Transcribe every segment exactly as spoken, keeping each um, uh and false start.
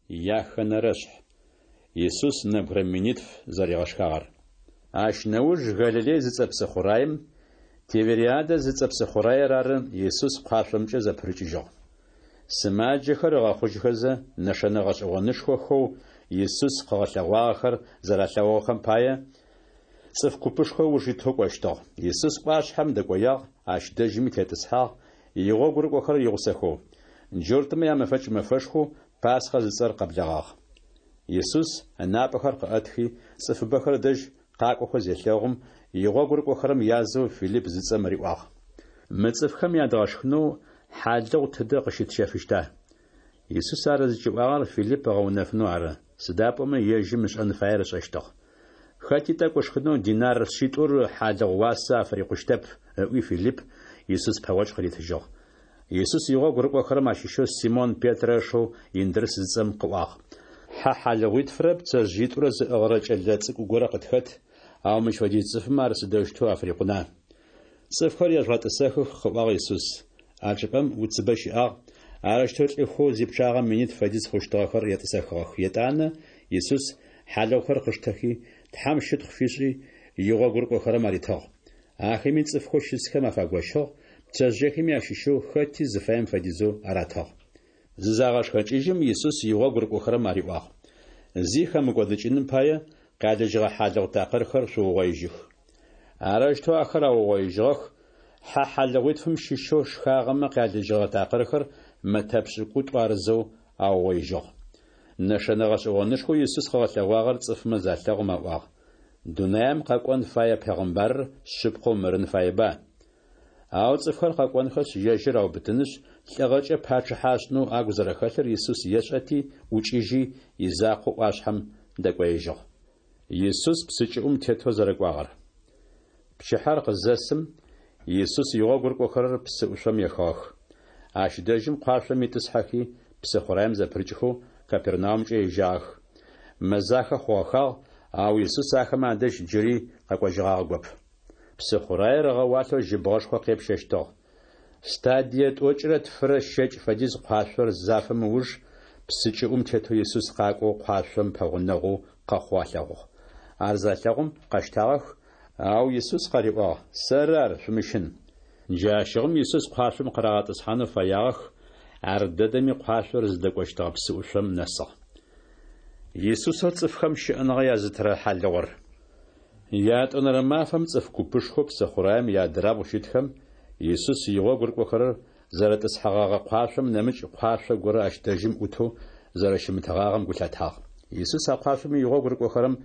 Яхэнэрэшъхь. Исус нэбгырэ минитф зэригъэшхагъэр. Ащ нэуж Галилей зыцӏэ псыхъураем, Тивериадэ зыцӏэ псыхъураер ары, Исус къуашъомкӏэ зэпырыкӏыжьыгъ. Сымаджэхэр ыгъэхъужьхэзэ, нэшэнэ гъэшӏэгъонышхохэу Исус къыгъэлъэгъуагъэхэр зэралъэгъугъэхэм пае, цӏыф купышхо ыуж итэу кӏощтыгъ. Исус ӏуашъхьэм дэкӏоягъ, ащ дэжьыми тетӏысхьагъ, игъогу рыкӏохэрэр игъусэхэу. Джуртмэ ямэфэкӏ мэфэшхоу Пасхъэ зыцӏэр къэблэгъагъ. Исус ынапӏэхэр къыӏэтхи, цӏыфыбэхэр ыдэжь къакӏохэу зелъэгъум, игъогу рыкӏохэрэм язэу Филипп зыцӏэм риӏуагъ: Мы цӏыфхэм ядгъэшхынэу хьалыгъу тыдэ къыщытщэфыщта? Исус ар зыкӏиӏуагъэр Филипп ыгъэунэфынэу ары, сыда пӏомэ ежьым ышӏэн фаер ышӏэщтыгъ. Хэти тӏэкӏу ышхынэу динар шъитӏур хьалыгъу уасэ афырикъущтэп, ыӏуи Филипп Исус пэгъокӏ къыритыжьыгъ. Исус игъогу рыкӏохэрэм ащыщэу Симон Петрэ ышэу Индрыс зыцӏэм къыӏуагъ: Хьэ хьалыгъуитфырэ пцэжъыитӏурэ зыӏыгъырэ кӏэлэ цӏыкӏу горэ къытхэт, ау мыщ фэдиз цӏыфмэ ар сыдэущтэу афырикъуна? Цӏыфхэр ежъугъэтӏысэхых, къыӏуагъ Исус. А чӏыпӏэм уцыбэ щыӏагъ, арэущтэу лӏыхэу зипчъагъэ минитф фэдиз хъущтыгъэхэр етӏысэхыгъэх. Етӏанэ Исус хьалыгъухэр къыштэхи, Тхьэм щытхъу фишӏи, игъогу рыкӏохэрэм аритыгъ. Ахэми цӏыфхэу щысхэм афагощыгъ, пцэжъыехэми ащыщэу хэти зыфаем фэдизэу аратыгъ. Зызагъэшхэкӏыжьым, Исус игъогу рыкӏохэрэм ариӏуагъ: Зи хэмыкӏодыкӏыным пае, къялыжьыгъэ хьалыгъу такъырхэр шъуугъоижьых. Арэущтэу ахэр аугъоижьыгъэх, хьэ хьалыгъуитфым щыщэу шхагъэмэ къялыжьыгъэ такъырхэр мэтэ пшӏыкӏутӏу арызэу аугъоижьыгъ. Нэшэнэ гъэшӏэгъонышхоу Исус къыгъэлъэгъуагъэр цӏыфмэ залъэгъум аӏуагъ: Дунаем къэкӏон фае пегъымбарыр шъыпкъэу мырын фаеба? Ау цӏыфхэр къэкӏонхэшъ, ежьыр аубытынышъ, лӏыгъэкӏэ пачъыхьэ ашӏынэу агу зэрэхэлъыр Исус ешӏэти, ӏукӏыжьи, изакъоу ӏуашъхьэм дэкӏоежьыгъ. Исус псы кӏыӏум тетэу зэрэкӏуагъэр. Пчыхьэр къызэсым, Исус игъогу рыкӏохэрэр псы ӏушъом ехыгъэх. Ащ дэжьым къуашъом итӏысхьэхи, псыхъураем зэпырыкӏхэу Капернаумкӏэ ежьагъэх. Мэзахэ хъугъэхагъ, ау Исус ахэмэ адэжь джыри къэкӏожьыгъагъэгоп. Псыхъураер ыгъэуалъэу жьыбгъэшхо къепщэщтыгъ. Стадие тӏокӏырэ тфырэ щэкӏ фэдиз къуашъор зафэм ыуж, псы кӏыӏум тетэу Исус къакӏоу къуашъом пэгъунэгъоу къэхъоу алъэгъугъ. Ар залъэгъум къэщтагъэх, ау Исус къариӏуагъ: Сэры ар, шъумыщын. Джащыгъум Исус къуашъом къырагъэтӏысхьанэу фэягъэх, ардэдэми къуашъор зыдэкӏощтыгъэ псыӏушъом нэсыгъ. Исусэу цӏыфхэм щыӏэныгъэ язытырэ хьалыгъур. Ятӏонэрэ мафэм цӏыф купышхоу псыхъураем иадырабгъу щытхэм Исус игъогу рыкӏохэрэр зэрытӏысхьэгъэгъэ къуашъом нэмыкӏ къуашъо горэ ащ дэжьым ӏутэу зэрэщымытыгъагъэм гу лъатагъ. Исус а къуашъом игъогу рыкӏохэрэм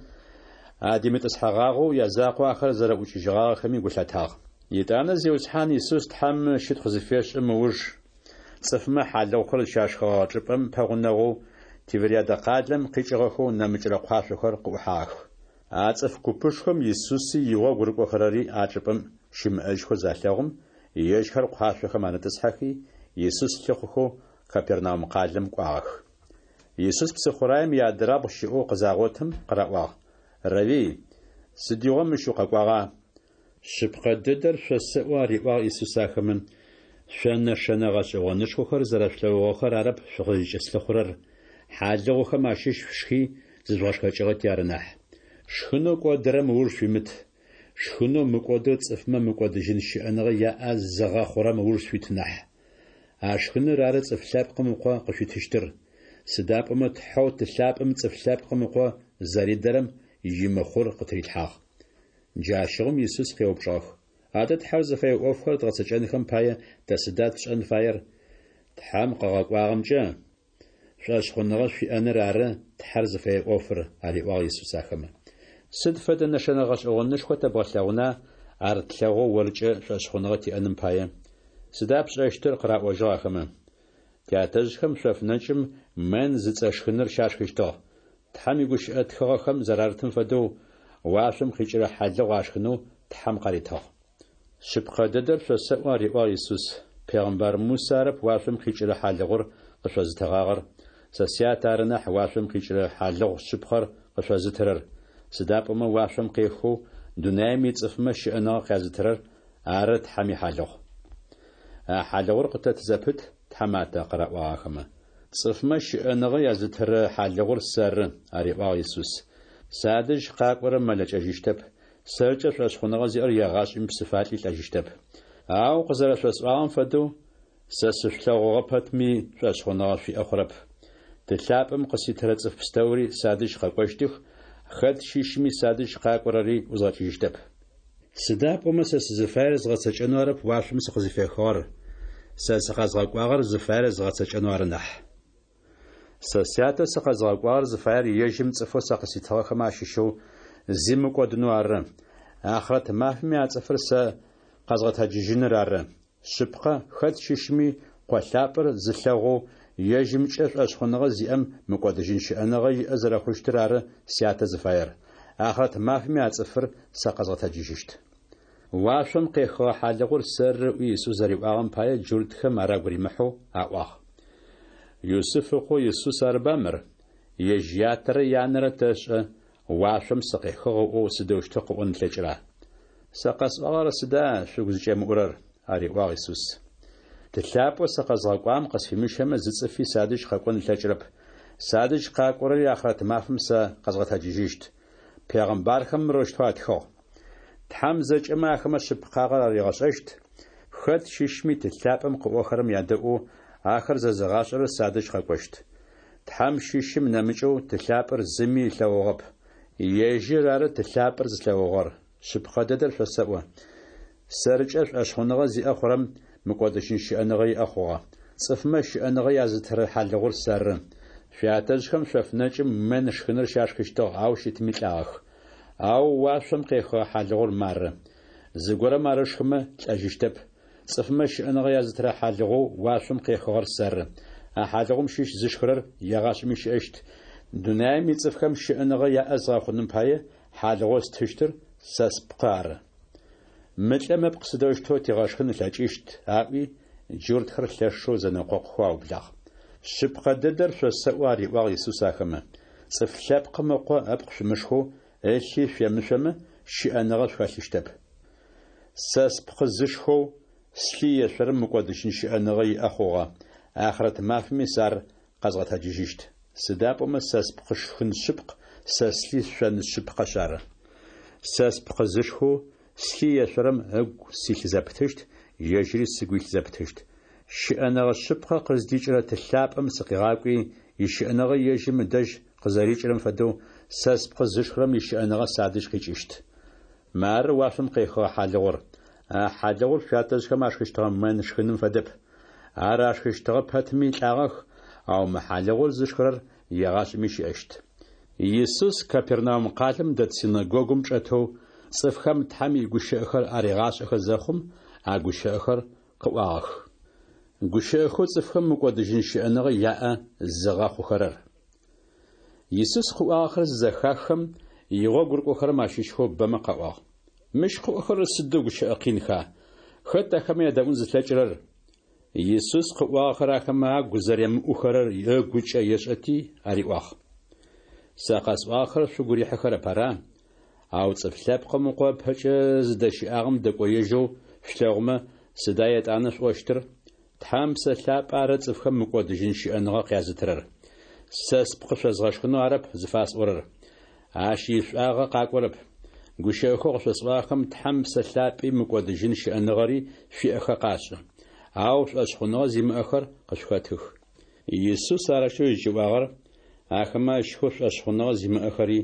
адимытӏысхьэгъагъэу язакъоу ахэр зэрэӏукӏыжьыгъагъэхэми гу лъатагъ. Етӏанэ Зиусхьан Исус Тхьэм щытхъу зыфешӏым ыуж, цӏыфмэ хьалыгъухэр зыщашхыгъэгъэ чӏыпӏэм пэгъунэгъоу Тивериадэ къалэм къикӏыгъэхэу нэмыкӏрэ къуашъохэр къыӏухьагъэх. А цӏыф купышхом Исуси игъогу рыкӏохэрэри а чӏыпӏэм щымыӏэжьхэу залъэгъум, ежьхэр къуашъохэм арытӏысхьэхи, Исус лъыхъухэу Капернаум къалэм кӏуагъэх. Исус псыхъураем иадырабгъу щыӏэу къызагъотым, къыраӏуагъ: Равви, сыдигъо мыщ укъэкӏуагъа? Шъыпкъэ дэдэр шъосэӏо, ариӏуагъ Исус ахэмэ, шъо нэшэнэ гъэшӏэгъонышхохэр зэрэшъулъэгъугъэхэр арэп шъукъызкӏыслъыхъурэр, хьалыгъухэм ащыщ шъушхи зыжъугъэшхэкӏыгъэти ары нахь. Шхынэу кӏодырэм ыуж шъуимыт, шхынэу мыкӏодэу цӏыфмэ мыкӏодыжьын щыӏэныгъэ яӏэ зыгъэхъурэм ыуж шъуит нахь. А шхыныр ары Цӏыф Лъэпкъым Ыкъо къышъуитыщтыр, сыда пӏомэ Тхьэу Ты лъапӏэм Цӏыф Лъэпкъым Ыкъо зэридэрэм имыхъур къытырилъхьагъ. Джащыгъум Исус къеупчӏыгъэх: Адэ Тхьэр зыфэе ӏофхэр дгъэцэкӏэнхэм пае тэ сыда тшӏэн фаер? Тхьэм къыгъэкӏуагъэмкӏэ шӏошъхъуныгъэ шъуиӏэныр ары Тхьэр зыфэе ӏофыр, ариӏуагъ Исус ахэмэ. Сыд фэдэ нэшэнэ гъэшӏэгъонышхо тэбгъэлъэгъуна ар тлъэгъоу оркӏэ шӏошъхъуныгъэ тиӏэным пае? Сыда пшӏэщтыр? къыраӏожьыгъ ахэмэ. Тятэжъхэм шъоф нэкӏым мэнн зыцӏэ шхыныр щашхыщтыгъ. Тхьэм игущыӏэ тхыгъэхэм зэрарытым фэдэу, уашъом къикӏырэ хьалыгъу ашхынэу Тхьэм къаритыгъ. Шъыпкъэ дэдэр шъосэӏо, ариӏуагъ Исус, пегъымбар Мусэ арэп уашъом къикӏырэ хьалыгъур къышъозытыгъагъэр, сэ Сятэ ары нахь уашъом къикӏырэ хьалыгъу шъыпкъэр къышъозытырэр, сыда пӏомэ уашъом къехэу дунаим ицӏыфмэ щыӏэныгъэ къязытырэр ары Тхьэм ихьалыгъу. А хьалыгъур къытэт зэпыт, тхьаматэ, къыраӏуагъ ахэмэ. Цӏыфмэ щыӏэныгъэ язытырэ хьалыгъур сэры, ариӏуагъ Исус. Садэжь къакӏорэр мэлэкӏэжьыщтэп, сэркӏэ шӏошъхъуныгъэ зиӏэр егъашӏэми псыфалӏи лӏэжьыщтэп. Ау къызэрэшъосӏуагъэм фэдэу, сэ сышъулъэгъугъэ пэтми, шӏошъхъуныгъэ шъуиӏэ хъурэп. Ты лъапӏэм къыситырэ цӏыф пстэури садэжь къэкӏощтых, хэт щыщми садэжь къакӏорэри ӏузгъэкӏыжьыщтэп. Сыда пӏомэ сэ сызыфаер згъэцэкӏэнэу арэп уашъом сыкъызыфехыгъэр, сэ сыкъэзгъэкӏуагъэр зыфаер згъэцэкӏэнэу ары нахь. Сэ Сятэу сыкъэзгъэкӏуагъэр зыфаер ежьым цӏыфэу сэ къыситыгъэхэм ащыщэу зи мыкӏодынэу ары, ахърэт мафэми а цӏыфыр сэ къэзгъэтэджыжьыныр ары. Шъыпкъэ, хэт щыщми Къо лъапӏэр зылъэгъоу, ежьымкӏэ шӏошъхъуныгъэ зиӏэм мыкӏодыжьын щыӏэныгъэ иӏэ зэрэхъущтыр ары Сятэ зыфаер. Ахърэт мафэми а цӏыфыр сэ къэзгъэтэджыжьыщт. Уашъом къехыгъэ хьалыгъур сэры ыӏуи Исус зэриӏуагъэм пае джуртхэм ар агу римыхьэу аӏуагъ. Юсыф ыкъоу Исус арыба мыр? Ежь ятэрэ янэрэ тэшӏэ, уашъом сыкъехыгъ ыӏоу сыдэущтэу къыӏон ылъэкӏыра? Сэ къэсӏуагъэр сыда шъугу зыкӏемыӏурэр? ариӏуагъ Исус. Ты лъапӏэу сэ къэзгъэкӏуагъэм къысфимыщэмэ, зы цӏыфи садэжь къэкӏон ылъэкӏырэп. Садэжь къакӏорэри ахърэт мафэм сэ къэзгъэтэджыжьыщт. Пегъымбархэм мырэущтэу атхыгъ: Тхьэм зэкӏэмэ ахэмэ шъыпкъагъэр аригъэшӏэщт. Хэт щыщми Ты лъапӏэм къыӏохэрэм ядэӏоу, ахэр зэзыгъашӏэрэр садэжь къэкӏощт. Тхьэм щыщым нэмыкӏэу Ты лъапӏэр зыми ылъэгъугъэп. Ежьыр ары Ты лъапӏэр зылъэгъугъэр. Шъыпкъэ дэдэр шъосэӏо: сэркӏэ шӏошъхъуныгъэ зиӏэ хъурэм мыкӏодыжьын щыӏэныгъэ иӏэ хъугъэ. Цӏыфмэ щыӏэныгъэ язытырэ хьалыгъур сэры. Шъуятэжъхэм шъоф нэкӏым мэнн шхыныр щашхыщтыгъ, ау щытми лӏагъэх. Ау уашъом къехыгъэ хьалыгъур мары. Зыгорэм ар ышхымэ, лӏэжьыщтэп. Цӏыфмэ щыӏэныгъэ язытырэ хьалыгъоу уашъом къехыгъэр сэры. А хьалыгъум щыщ зышхырэр егъашӏэми щыӏэщт. Дунаим ицӏыфхэм щыӏэныгъэ яӏэ згъэхъуным пае хьалыгъоу стыщтыр сэ спкъы ары. Мы лӏым ыпкъ сыдэущтэу тигъэшхын ылъэкӏыщт? аӏуи, джуртхэр лъэшэу зэнэкъокъухэу аублагъ. Шъыпкъэ дэдэр шъосэӏо, ариӏуагъ Исус ахэмэ, Цӏыф Лъэпкъым Ыкъо ыпкъ шъумышхэу, ылъи шъуемышъомэ, щыӏэныгъэ шъухэлъыщтэп. Сэ спкъы зышхэу, слъи ешъорэм мыкӏодыжьын щыӏэныгъэ иӏэ хъугъэ, ахърэт мафэми сэ ар къэзгъэтэджыжьыщт. Сыда пӏомэ сэ спкъы шхын шъыпкъ, сэ слъи шъон шъыпкъэшъ ары. Сэ спкъы зышхэу, слъи ешъорэм ыгу силъ зэпытыщт, ежьыри сыгу илъ зэпытыщт. Щыӏэныгъэ шъыпкъэ къыздикӏырэ Ты лъапӏэм сыкъигъакӏуи, ищыӏэныгъэ ежьым ыдэжь къызэрикӏырэм фэдэу, сэ спкъы зышхырэм ищыӏэныгъэ садэжь къикӏыщт. Мары уашъом къехыгъэ хьалыгъур. А хьалыгъур шъуятэжъхэм ашхыщтыгъэ мэнн шхыным фэдэп. Ар ашхыщтыгъэ пэтми лӏагъэх, ау мы хьалыгъур зышхырэр егъашӏэми щыӏэщт. Исус Капернаум къалэм дэт синэгогум чӏэтэу, цӏыфхэм Тхьэм игущыӏэхэр аригъашӏэхэ зэхъум, а гущыӏэхэр къыӏуагъэх. Гущыӏэхэу цӏыфхэм мыкӏодыжьын щыӏэныгъэ яӏэ зыгъэхъухэрэр. Исус къыӏуагъэхэр зызэхаххэм, игъогу рыкӏохэрэм ащыщхэу бэмэ къаӏуагъ: Мыщ къыӏохэрэр сыдэу гущыӏэ къинха? Хэт ахэмэ ядэӏун зылъэкӏырэр? Исус къыӏуагъэхэр ахэмэ агу зэремыӏухэрэр ыгукӏэ ешӏэти ариӏуагъ: Сэ къэсӏуагъэхэр шъугу рихьыхэрэп, ара? Ау Цӏыф Лъэпкъым Ыкъо ыпэкӏэ зыдэщыӏагъэм дэкӏоежьэу шъулъэгъумэ, сыда етӏанэ шъуӏощтыр? Тхьэм Псэ Лъапӏэ ары цӏыфхэм мыкӏодыжьын щыӏэныгъэ къязытырэр. Сэ спкъы шъозгъэшхынэу арэп зыфасӏорэр. Ащ ишӏуагъэ къакӏорэп. Гущыӏэхэу къышъосӏуагъэхэм Тхьэм Псэ Лъапӏи мыкӏодыжьын щыӏэныгъэри шъуиӏэхэ къашӏы. Ау шӏошъхъуныгъэ зимыӏэхэр къышъухэтых. Исус арэущтэу зыкӏиӏуагъэр ахэмэ ащыщхэу шӏошъхъуныгъэ зимыӏэхэри,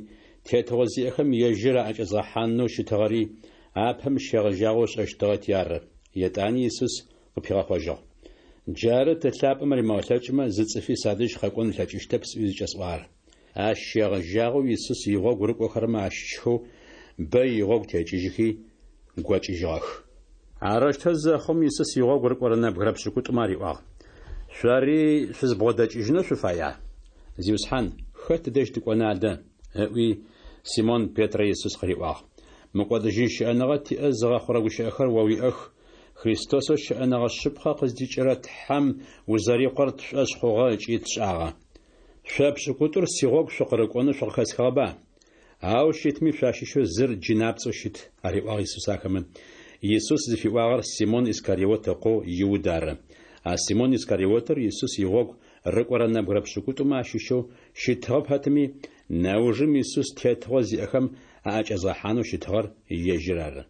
тетыгъо зиӏэхэм ежьыр аӏэкӏэзгъэхьанэу щытыгъэри апэм щегъэжьагъэу ышӏэщтыгъэти ары. Етӏани Исус къыпигъэхъожьыгъ: Джары Ты лъапӏэм римыгъэлъэкӏымэ, зы цӏыфи садэжь къэкӏон ылъэкӏыщтэп сӏуи зыкӏэсӏуагъэр. Ащ щегъэжьагъэу Исус игъогу рыкӏохэрэмэ ащыщхэу бэ игъогу текӏыжьыхи, гокӏыжьыгъэх. Арэущтэу зэхъум, Исус игъогу рыкӏорэ нэбгырэ пшӏыкӏутӏумэ ариӏуагъ: Шъори шъузбгъодэкӏыжьынэу шъуфая? Зиусхьан, хэт ыдэжь тыкӏона адэ? ыӏуи, Симон Петрэ Исус къыриӏуагъ: Мыкӏодыжьын щыӏэныгъэ тиӏэ зыгъэхъурэ гущыӏэхэр о уиӏэх. Христосэу щыӏэныгъэ шъыпкъэ къыздикӏырэ Тхьэм узэри Къор тшӏошъ хъугъэ ыкӏи тшӏагъэ. Шъо пшӏыкӏутӏур сигъогу шъукъырыкӏонэу шъукъыхэсхыгъэба? Ау щытми шъуащыщэу зыр джынапцӏэу щыт, ариӏуагъ Исус ахэмэ. Исус зыфиӏуагъэр Симон Искариот ыкъоу Иуд ары. А Симон Искариотыр Исус игъогу рыкӏорэ нэбгырэ пшӏыкӏутӏумэ ащыщэу щытыгъэ пэтми, нэужым Исус тетыгъо зиӏэхэм аӏэкӏэзгъэхьанэу щытыгъэр ежьыр ары.